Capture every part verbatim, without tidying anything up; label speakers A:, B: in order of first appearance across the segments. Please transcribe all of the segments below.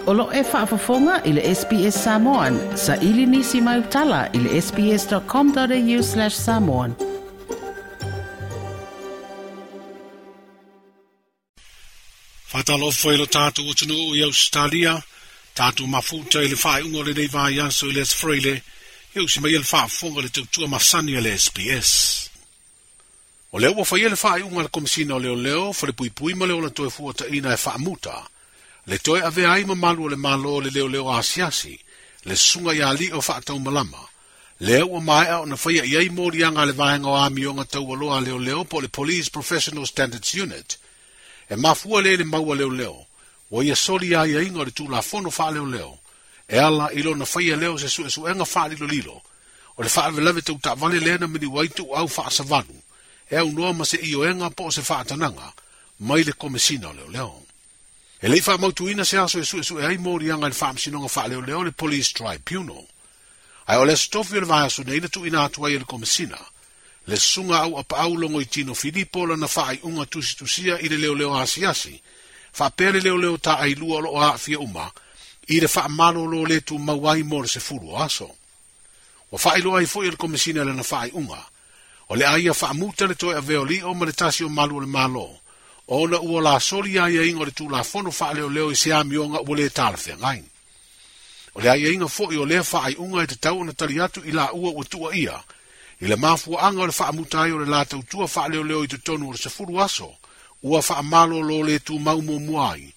A: O lo e faafofoga i le S B S Samoan, sa ili nisi mai utala i le sbs.com.au slash samoan.
B: Whātalo foi lo tātou utunu i Australia, tātou mafuta i le whaeunga o le nei vai aso i le Freile, i usi mai le whaafonga le tautua masani a le S B S. O lea ua whaia le whaeunga le komisina o leo leo, whale pui pui ma le ola toe fua taina e whaamuta. Le toe avea ai mamalu o le malo le leo leo asiasi, le sunga i ali o whaatau malama. Lea ua maea o na whaia i ai morianga le vaenga o amionga taualoa leo leo po le Police Professional Standards Unit. E mafua le le maua leo leo, o ia soli ai ainga o le tūlafono wha leo leo, e ala i lona whaia leo se sue suenga wha lilo lilo, o le whaawelave tau taavale lena mini waitu au wha asavalu, e au noa ma se ioenga po o se whaatananga, mai le komesina o leo leo. E lei wha mautuina se aso e sue sue ai morianga le whaamsinonga wha leo leo le Police Tribunal. Ai o le stofi o le vaiaso neina tu ina atu ai e le komesina, le sunga au apa au longo i tino Filipo lana whaai unga tusitusia i le leo leo asiasi, whaapea le leo leo ta ai lua lo a fia uma, i le whaamalo lo le tu mauai mo le se fulu o aso. Wa whaailoa ai foi e le komesina lana whaai unga, o le aia whaamuta le toe aveo lio ma le tasi o malu o le malo, o na ua la soli ai ainga o le tūlafono whaaleo leo i se amionga ua le talawhea ngai. O le aia inga foi o lea whaai unga e te tau na tali atu i la ua ua tua ia, i le mafua anga o le whaamuta ai o le la tautua whaaleo leo i te tonu o le sefuru aso, ua whaamalo lo le tu mau mo muai,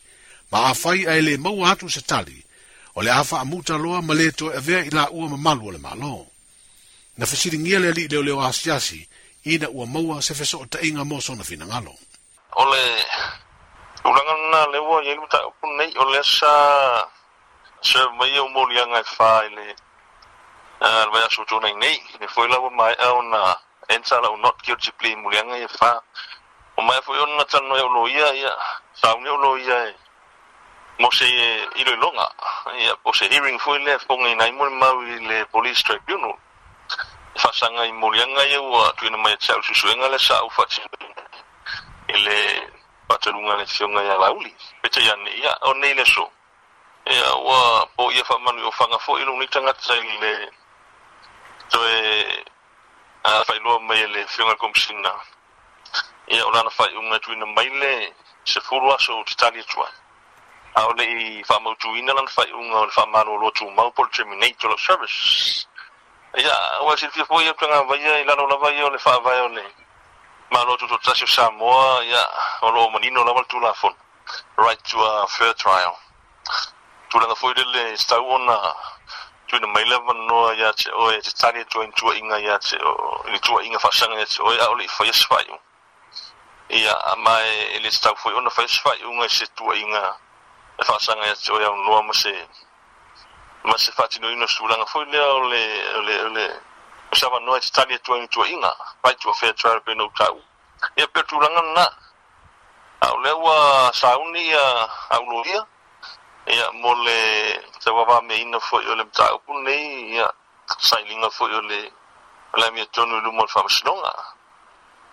B: ma a whai a ele maua atu se tali, o le a whaamuta loa ma le toe avea i la ua mamalu o le malo. Na whasiringia le ali leo leo asiasi, ina ua maua se feso o tainga mo sona finangalo.
C: O le ulanga na lewa i elu ta upu nei, o le sa se mai o molianga e wha i le le vai aso tōna i nei. Le foi lawa mai au na enter lau not guilty plea mulianga e wha. O mai foi ona tano e o ia, ia, sauni o ia e mo se iloiloga. Ia, po se hearing foi lea fonga i nai mo le mau i le Police Tribunal. E whasanga i mulianga ia ua tuina mai e te au susuenga le sa au whatino i le patalunga le fionga ia lauli. Pete ia nei, ia, o nei le so. Ia, ua po ia whamanu o whanga foi lo ni tangata i le toe a whailoa mai le fionga komisina. Ia, o lana whai unga tuina mai le se furu aso o te tali atua. A o le i whamautuina lana whai unga o le whamano o lotu mau po le terminate o lo service. Ia, ua silfia foi ia tanga vaia i lalo lava ia o le whaavae o le malo tuto tasi o Samoa, ia, o lo manino lava le tūlafono. Right to a fair trial. Tūlanga foi lele stau ona tuina mai lava noa ia te oe te tali atua i tua inga ia te o i tua inga whaasanga ia te oe a ole i whaia se whai. Ia, a mai e le stau foi ona whaia se whai unga i se tua inga e whaasanga ia te oe au noa ma se ma se whatino ino tūlanga foi lea o le o le o le o sa noa te tali atua i tua inga right to a fair trial pe no tau. Ia pe tūlanga na a o lea ua sauni ia au ia ia mo le te wawa me ina foi o le mtaupu nei ia sailinga foi o le o le mea tonu i luma o le whamasinonga.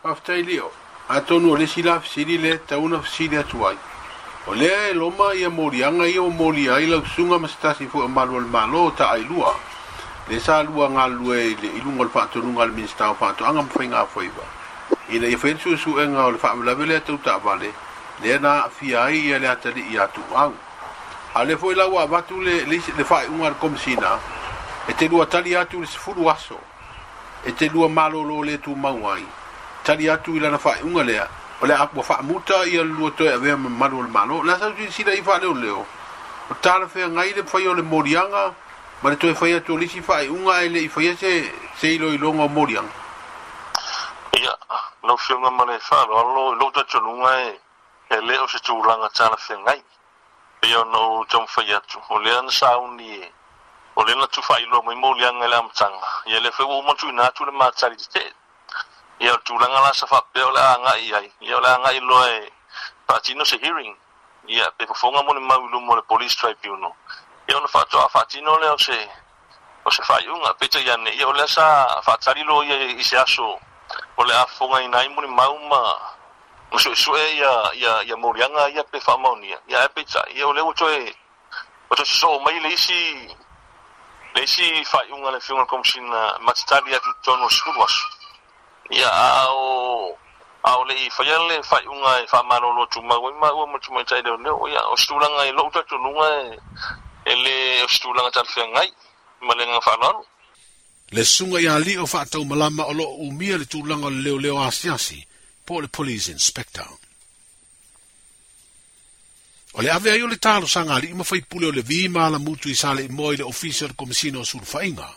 B: Whaftai leo, a tonu o le sila fisili le tauna fisili atu ai. O lea e loma ia morianga ia o mori ai lau sunga ma se tasi foi o malu o le malo o ta ai lua. Le sa lua ngā lue i le ilunga o le whaatonunga le minista o whaatoanga ma whainga whaiva. Ina ia whain suesuenga o le whaawelawe lea tau taavale, lea na fia ai ia le atali i atu au. A le foi lau avatu le, le, le whae unga le komisina, e te lua tali atu le sefulu aso, e te lua malolo le tu mau ai. Tali atu i lana whae unga lea, o le ua whaamuta ia lua toe avea ma malu o le malo. La sau sila i wha leo leo, o tāla whea ngai le whai o le morianga, ma le toe whai atu o lisi whae unga e le i whai se, se ilo i longa o morianga.
C: Ia, lau fionga ma le whaalo, alo, lo tatonunga e, e leo se tūlanga tāla whea ngai. Ia no taumafai atu. O lea na sauni e, o lea na tuwhailoa mai molianga i le amataga. Ia le fai ua uma tuuina atu le matali tetee. Ia o le tulaga la sa faapea o le a agai ai. Ia o le agai loa e faatino se hearing. Ia pe fofoga mo le mau i luma o le Police Tribunal. Ia ona faatoa faatino lea o se o se faaiuga. Peitai ane, ia o lea sa faatali loa ia i se aso o le a fofogaina ai mo le mau ma ma suesue ia ia ia molianga ia pe faamaonia. Ia e peitai, ia o lea ua toe O te sosoo mai le isi le isi faaiuga a le afioga i le Komesina ma te tali atu i totonu o le sefulu aso. Ia a o a o le'i faia le faaiuga e faamalolo tumau ai maua ma le tamaitai leoleo. Ia o se tulaga i lo'u talitonuga e e lē o se tulaga talafeagai ma le agaga faaaloalo.
B: Le susuga ia Lio Faataumalama o loo umia le tulaga o le leoleo asiasi po o le Police Inspector. O le ave ai o le talosaga a alii ma faipule o le Vi ma Alamutu i Saleimoa i le Ofisa o le Komesina o Sulufaiga,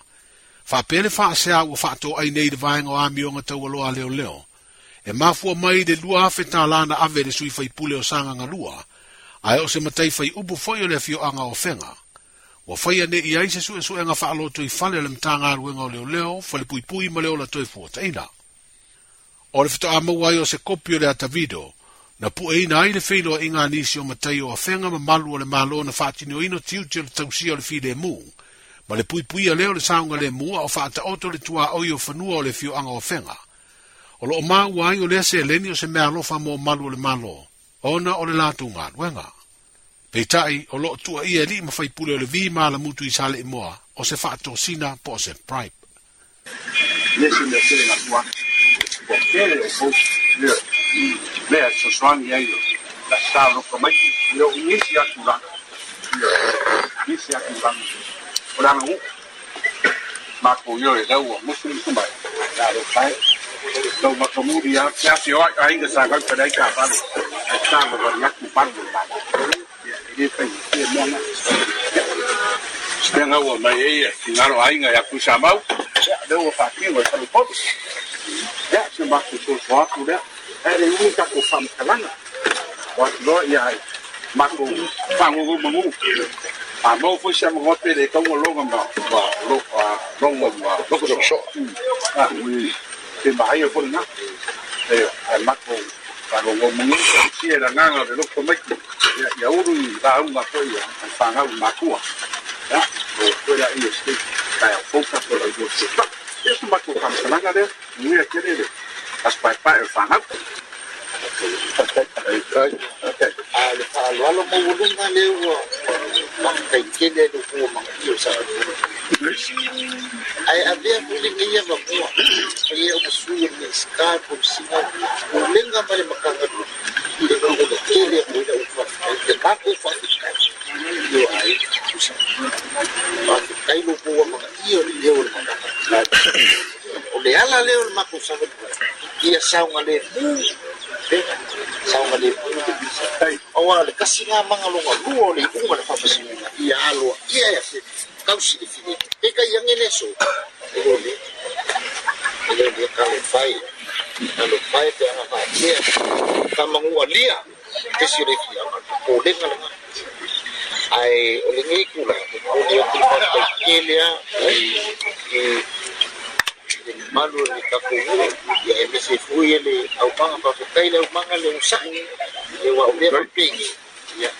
B: faapea le faasea ua faatoai nei i le vaega o amioga taualoa a leoleo, e mafua mai i le lua afe tālā na ave e le sui faipule o Sagaga Lua, ae o se matai fai upu foi o le afioaga o Afega. Ua faia nei i ai se suesuega faalotoifale a le Matagaluega o Leoleo, Falepuipui ma le Ola Toefuataiga. O le faatoa maua ai o se kopi o le ata video, na pueina ai le feiloaiga a nisi o matai o Afega ma malu o le Malo na faatinoina tiute o le tausia o le filemu, ma le puipuia lea o le saogalemu a o faataoto le tuaoi o fanua o le afioaga o Afega. O loo maua ai o lea seleni o se meaalofa mo malu o le Malo, ona o le latou galuega. Peitai, o loo tuuaia e alii ma faipule o le Vi ma Alamutu i Saleimoa o se faatosina po o se bribe.
D: Le se mea tele na tua ua tele o post lea lea e fesoasoani ai la sa loka mai le o nisi atu la nisi atu la o la ngu ma ko yo e lau musu musu mai la lo kai tau makamuri a te ase o ai inga sa kau pa ka vale e sa ma wa atu pa la e le fai e mona Stenga ua mai e e ngaro ainga ya kusa mau ya le ua whakio e whalu popo ya se maku so so atu lea e le ui kako whamkalanga wa loa ia ai mako whangogo mangu a mau foi se ngote le kaunga longa ma wa lo a longa ma loko so so a ui te mahai o na e a mako whangogo mangu si e ranganga le loko mai ya ya uru i la unga foi a whangau makua ya o koe la ia se kai o foka ko la go se pa eso mako whamkalanga lea nui a kere le as pai pai o whangau.
E: Okay. A le faaaloalo maualuga lea ua faafetaitele le ua magaia o Samoa. Ae avea foi lenei avanoa paia o masui o le Minisita, Komesina o Pulega ma le Matagaluega e o tele a ina ua faafetai le matou faafetai i o aiga tusa. Faafetai lo ua magaia o le leo o le Matagaluega. O le ala lea o le matou savalivali ia saogalemu pega saogalemu le visa. Aua le kasi ngā mangalonga lua o le iuga le faamasinoga ia aloa ia e afe kausi le file peka ia ngele so e lo le e lo le ka le fai ka le fai pe anga faatea ka mangua lia te si o le fia o lenga lenga ai o le ngei kula o le o te faafetai tele a e le mamalu o le tatou nuu ia e mese foi e le aumaga faafetai le aumaga le onosai le ua o lea faapegi ia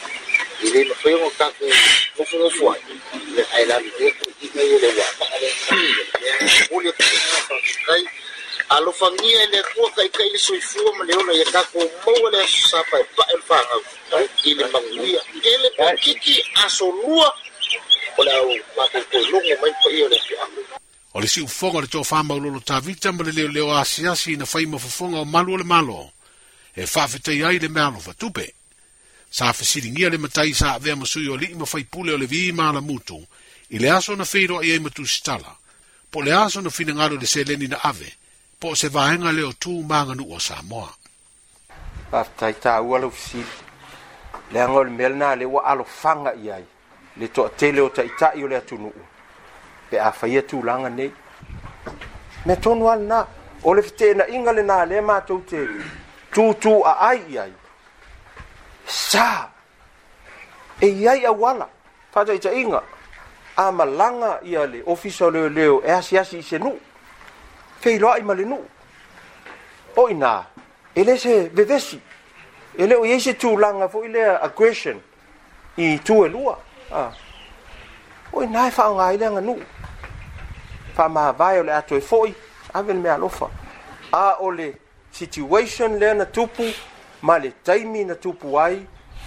E: e le mafai ona tatou nofonofo ai ia ae lalo lea toeaiina ia le uamaa lea momoli atu le faafetai alofagia e le Atua taitai le soifua ma le ola ia tatou maua le aso sa paepae o le fanau i le manuia tele pakiki aso lua o le au matou toe logo mai paia o le afioaga.
B: O le siufofoga o le tofa maulolo Tavita ma le leoleo asiasi ina fai ma fofoga o malu o le Malo, e faafetai ai le meaalofa tupe. Sa fesiligia le matai sa avea ma sui o alii ma faipule o le Vi ma Alamutu i le aso na feiloai ai ma Tusitala, po o le aso na finagalo i le seleni na ave, po o se vaega lea o tu ma aganuu a Samoa.
F: Faafetai taua lau fesili. Leaga o le mea lena lea ua alofaga i ai le toatele o taitai o le atunuu pe a faia tulaga nei. Mea tonu lava lena, o le feteenaiga lena lea matou te tūtū aai i ai. Sa e i ai auala, faataitaiga, a malaga ia le ofisa o leoleo e asiasi i se nuu, feiloai ma le nuu. O ina, e le se vevesi, e le o i ai se tulaga foi lea aggression i itu e lua. A. O ina e faaaoga ai le aganuu. Faamavae o le a toe foi, ave le meaalofa. A o le situation lea na tupu ma le taimi na tupu ai,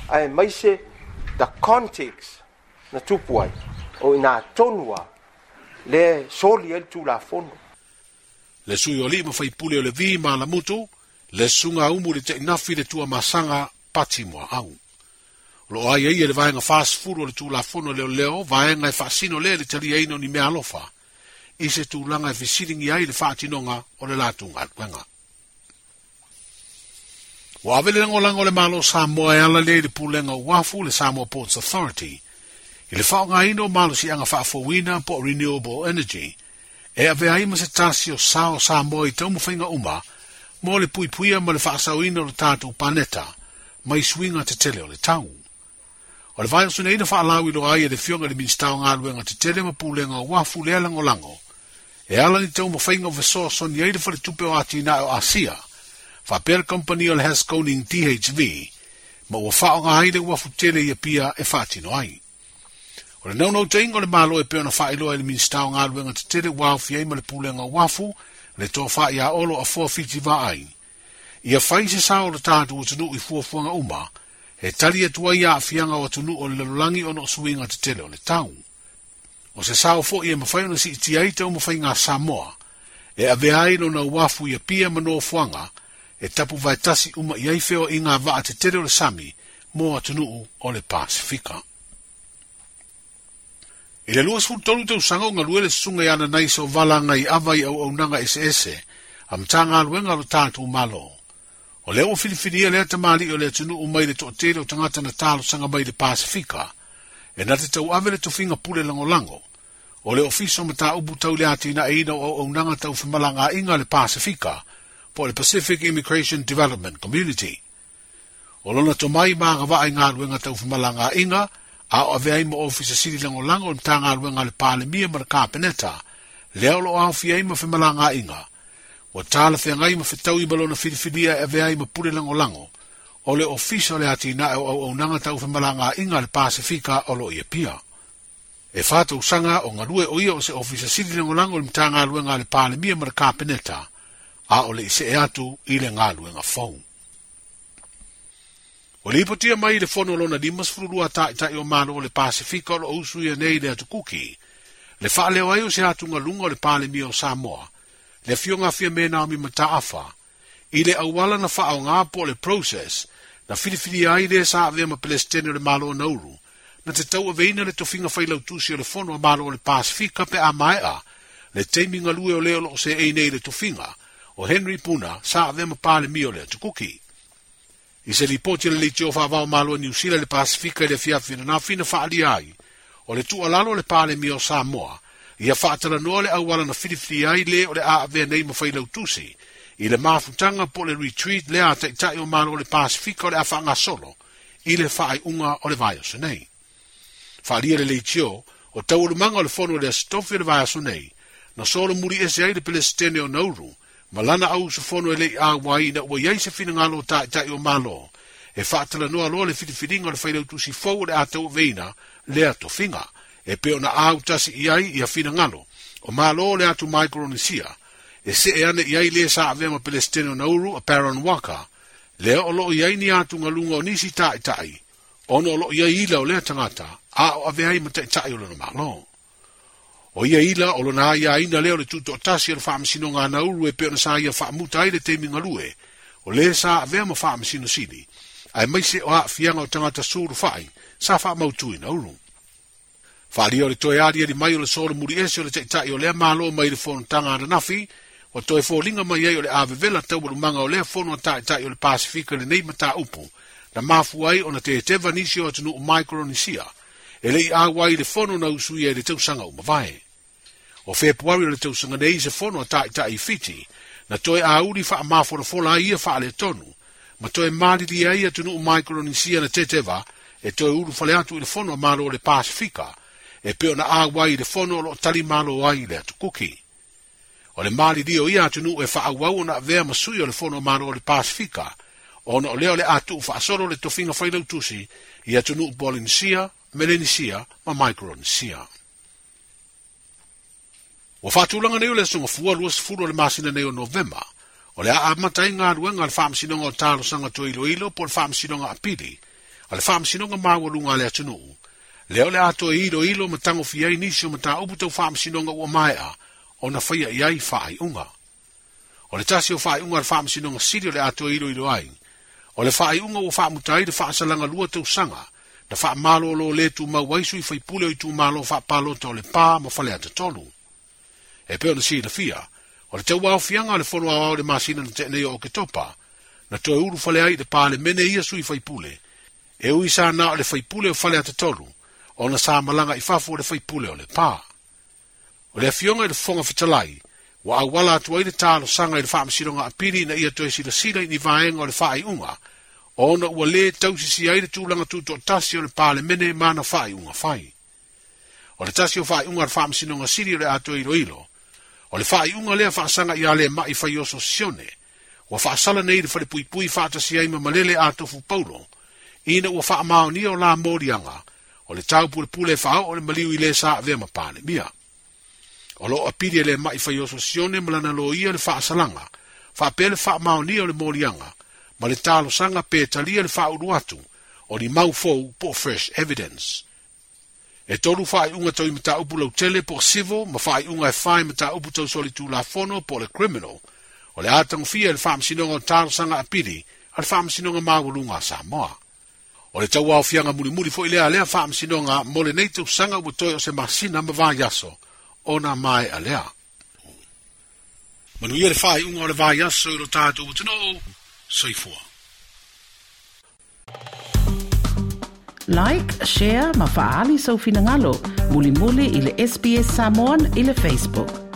F: aemaise the context Na tupu ai, o ina tonu a, le soli ai le tulafono.
B: Le sui o lima faipule o le vi ma la mutu, le sunga umu le teinafi le tua masanga pati mua au. Lo ai ai le vaenga whaasfuru o le tulafono leo leo, vaenga e whaasino le le talia ino ni mea alofa, i se tulaga e fesilingi ai le faatinonga o le latou galuega. Ua ave le lagolago o le Malo Samoa e ala lea i le pulega o uafu le Samoa Ports Authority, i le faaaogaina o malosiaga faafouina po o Renewable Energy, e ave ai ma se tasi o sao Samoa i taumafaiga uma mo le puipuia ma le faasaoina o le tatou paneta mai suiga tetele o le tau. O le vaiaso nei na faalauiloa ai e le Afioga i le Minisita o Galuega Tetele ma Pulega o Uafu lea lagolago, e ala ni taumafaiga o fesoasoani ai le faletupe o atinae o Asia, faapea le kamupani o le Haskoning D H V, ma ua faaaoga ai le uafu tele i Apia e faatino ai. O le naunautaiga o le Malo e pei ona faailoa i le Minisita o Galuega Tetele ua aofia ai ma le Pulega o Uafu, le tofa ia Olo Afoa Fiti Vaai. Ia fai se sao o le tatou atunuu i fuafuaga uma, e tali atu ai aafiaga o atunuu o le lalolagi ona o suiga tetele o le tau. O se sao foi e mafai ona siitia ai taumafaiga a Samoa, e avea ai lona uafu i Apia ma nofoaga, e tapu vaetasi uma i ai feoaiga vaa tetele o le sami mo atunuu o le Pasifika. I le luasefulu tolu tausaga o galue le susuga i ana nai sovala i ava i auaunaga eseese a Matagaluega o le tatou Malo. O lea ua filifilia lea tamalii o le atunuu mai le toatele o tagata na talosaga mai le Pasifika, e na te tauave le tofiga pule lagolago, o le ofisa o mataupu tau le atinaeina o auaunaga tau femalagaaiga le Pasifika, po le Pacific Immigration Development Community. O lona tomai ma agavaa i galuega tau femalagaaiga, a o avea ai ma ofisa sili lagolago o le Matagaluega a le Palemia ma le Kapeneta, lea o loo aofia ai ma femalagaaiga, ua talafeagai ma fetaui ma lona filifilia e avea ai ma pule lagolago, o le ofisa o le atinae o auaunaga tau femalagaaiga a le Pasifika o loo i Apia. E whātausaga o galue o ia o se ofisa sili lagolago o le Matagaluega a le Palemia ma le Kapeneta, a o le i see atu i le galuega fou. O le ipotia mai i le fono lona limasefulu lua taʻitaʻi o Malo o le Pasifika o loo usu ia nei le atukuki, le faaleo ai o se atugaluga o le Palemia o Samoa, le afioga afia me Naomi Mataafa, i le auala na faaoga po o le process, na filifilia ai le sa avea ma Pelestene o le Malo o Nauru, na te tauaveina le tofiga failautusi o le fono a Malo o le Pasifika pe a maea, le taimi galue o lea o loo seei nei le tofiga, o Henry Puna sa avea ma Palemia o le atukuki. I se lipoti le leitio faavao Malo o Niu Sila le Pasifika i le afiafi ananafi na faalia ai, o le tuualalo o le Palemia o Samoa, ia faatalanoa le auala na filifilia ai le o le a avea nei ma failautusi, i le mafutaga po o le retreat lea a taʻitaʻi o Malo o le Pasifika o le a faagasolo, i le faaiuga o le vaiaso nei. Faalia le leitio, o taualumaga o le fono o le Aso Tofi o le vaiaso nei, na solo muri ese ai le Pelestene o Nauru, ma lana au usufono e lei auai ina ua iai se finagalo o taʻitaʻi o Malo, e faatalanoa loa le filifiliga o le failautusi fou o le a tauaveina lea tofiga, e pei ona autasi i ai ia finagalo o Malo o le atu Micronesia, e see ane i ai le sa avea ma Pelestene o Nauru a Baron Waka, lea o loo i ai ni atugaluga o nisi taʻitaʻi, ona o loo i ai ila o lea tagata, a o avea ai ma taʻitaʻi o lona Malo. O ia ila o lona aiaina lea o le tutoatasi o le faamasinoga a Nauru e pei ona sa ia faamuta ai le taimi galue, o le sa avea ma faamasino sili, aemaise o aafiaga o tagata sulufai sa faamautu i Nauru. Faalia o le toe aliali mai o le solo muri ese o le taʻitaʻi o lea Malo mai le fonotaga ananafi, ua toe foliga mai ai o le avevela taualumaga o lea fono a taʻitaʻi o le Pasifika i lenei mataupu, na mafua ai ona teteva nisi o atunuu Micronesia, e lei auai i le fono na usuia i le tausaga uma vae. O Fepuari o le tausaga nei se fono a taʻitaʻi i Fiti, na toe auli faamafolafola ai ia faaletonu, ma toe malili ai atunuu Micronesia na teteva, e toe ulufale atu i le fono a Malo o le Pasifika, e pei ona auai i le fono o loo tali malo ai le atukuki. O le malili o ia atunuu e faaauau ona avea ma sui o le fono a Malo o le Pasifika, ona o lea o le atuu faasolo le tofiga failautusi i atunuu Polynesia, Melanesia ma Micronesia. Ua faatulaga nei o le aso Gafua luasefulu o le masina nei o Novema, o le a amata ai galuega a le faamasinoga o talosaga toailoilo po o le faamasinoga apili, a le faamasinoga maualuga a le atunuu, Lea o le atoa e iloilo ma tagofia ai nisi o mataupu tau faamasinoga ua maea ona faia i ai faaiuga. O le tasi o faaiuga a le Faamasinoga Sili o le atoa e iloilo ai, o le faaiuga ua faamuta ai le faasalaga lua tausaga na faamalōlō lē tumau ai sui faipule o itumālō faapalota o Lepā ma Faleata tolu. E pei ona silafia, o le tauaofiaga o le Fono Aoao i le masina na tea nei o Oketopa, na toe ulufale ai i le Palemene ia sui faipule, e ui sa na o le faipule o Faleata tolu, ona sa malaga i fafo o le faipule o Lepā. O le afioga i le Fofoga Fetalai, ua auala atu ai le talosaga i le Faamasinoga Apili ina ia toe silasila i ni vaega o le faaiuga, ona ua lē tausisi ai le tulaga tutoatasi o le Palemene ma ana faaiuga fai. O le tasi o faaiuga a le Faamasinoga Sili o le atoa iloilo, o le faaiuga lea faasaga ia Lemai Faioso Sione, ua faasala nei le falepuipui faatasi ai ma Malele Atofu Paulo, ina ua faamaonia o la moliaga, o le taupulepule e faaoo le maliu i lē sa avea ma Palemia. O loo apili e Lemai Faioso Sione ma lana loia le faasalaga, faapea le faamaonia o le moliaga, ma le talosaga pe talia le faaulu atu o ni mau fou po o fresh evidence. E tolu faaiuga tau i mataupu lautele po o civil ma faaiuga e fa i mataupu tau solitulafono po o le criminal, o le a tagofia e le Faamasinoga o Talosaga Apili a le Faamasinoga Maualuga a Samoa. O le tauaofiaga mulimuli foi lea a lea Faamasinoga mo lenei tausaga ua toe o se masina ma vaiaso ona maea lea. Manuia le faaiuga o le vaiaso i lo tatou atunuu, soifua.
A: Like, share ma faaali sou finagalo mulimuli i le S B S Samoan i le Facebook.